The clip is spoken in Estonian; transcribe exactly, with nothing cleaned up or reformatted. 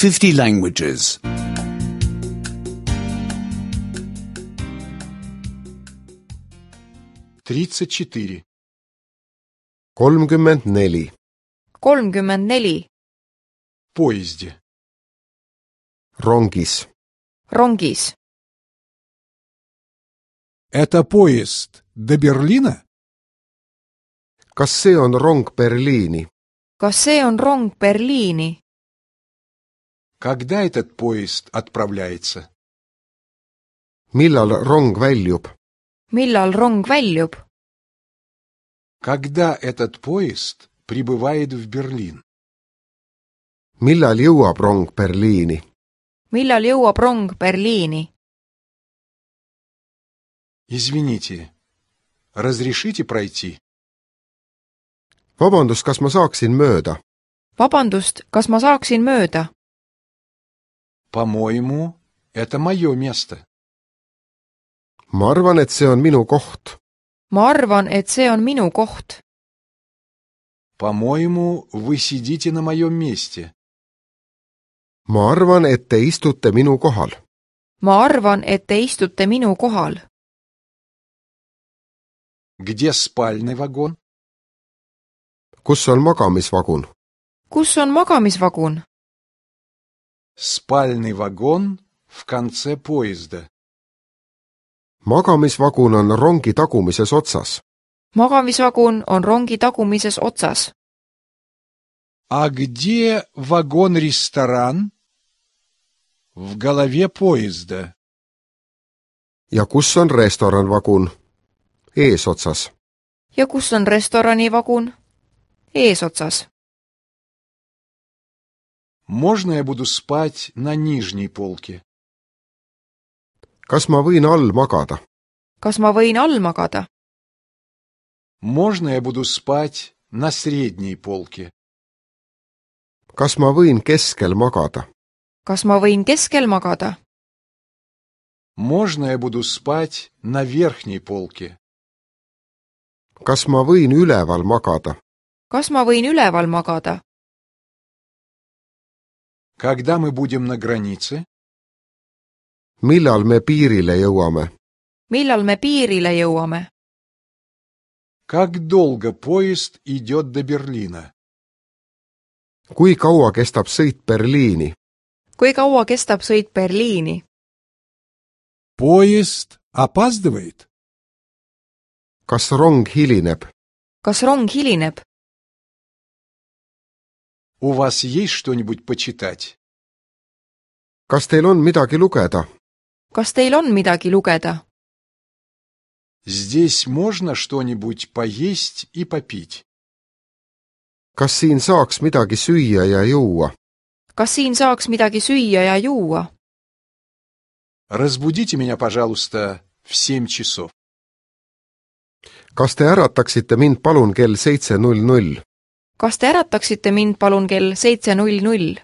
fifty languages. тридцать четыре. kolmkümmend neli. kolmkümmend neli. В поезде. Rongis. Rongis. Это поезд до Берлина? Kas see on rong Berliini? Kas see on rong Berliini? Когда этот поезд отправляется? Millal rong väljub? Millal rong väljub? Когда этот поезд прибывает в Берлин? Millal jõuab rong Berliini? Millal jõuab rong Berliini? Извините, разрешите пройти? Vabandust, kas ma saaksin mööda? Vabandust, kas ma saaksin mööda? По-моему, это мое место. Ma arvan, et see on minu koht. Ma arvan, et see on minu koht. По-моему, вы сидите на моем месте. Ma arvan, et te istute minu kohal. Ma arvan, et te istute minu kohal. Где спальный вагон? Kus on magamisvagun? Kus on magamisvagun? Спальный вагон в конце поезда. Magamisvagun on rongi tagumises otsas. Magamisvagun on rongi tagumises otsas. А где вагон-ресторан? В голове поезда. Ja kus on restoranvagun? Eesotsas. Ja kus on restoranivagun? Eesotsas. Можно я буду спать на нижней полке? Kas ma võin all magada? Kas ma võin all magada? Можно я буду спать на средней полке? Kas ma võin keskel magada? Kas ma võin keskel magada? Можно я буду спать на верхней полке? Kas ma võin üleval magada? Kas ma võin üleval magada? Когда мы будем на границе? Millal me piirile jõuame? Millal me piirile jõuame? Как долго поезд идет до Берлина? Kui kaua kestab sõit Berliini? Kui kaua kestab sõit Berliini? Поезд опаздывает? Kas rong hilineb? Kas rong hilineb? У вас есть что-нибудь почитать? Kas teil on midagi lugeda? Kas teil on midagi lugeda? Здесь можно что-нибудь поесть и попить? Kas siin saaks midagi süüa ja juua? Kas siin saaks midagi süüa ja juua? Разбудите меня, пожалуйста, в семь часов. Kas te ärataksite mind palun kell seitse null null? Kas te ärataksite mind palun kell seitse null null?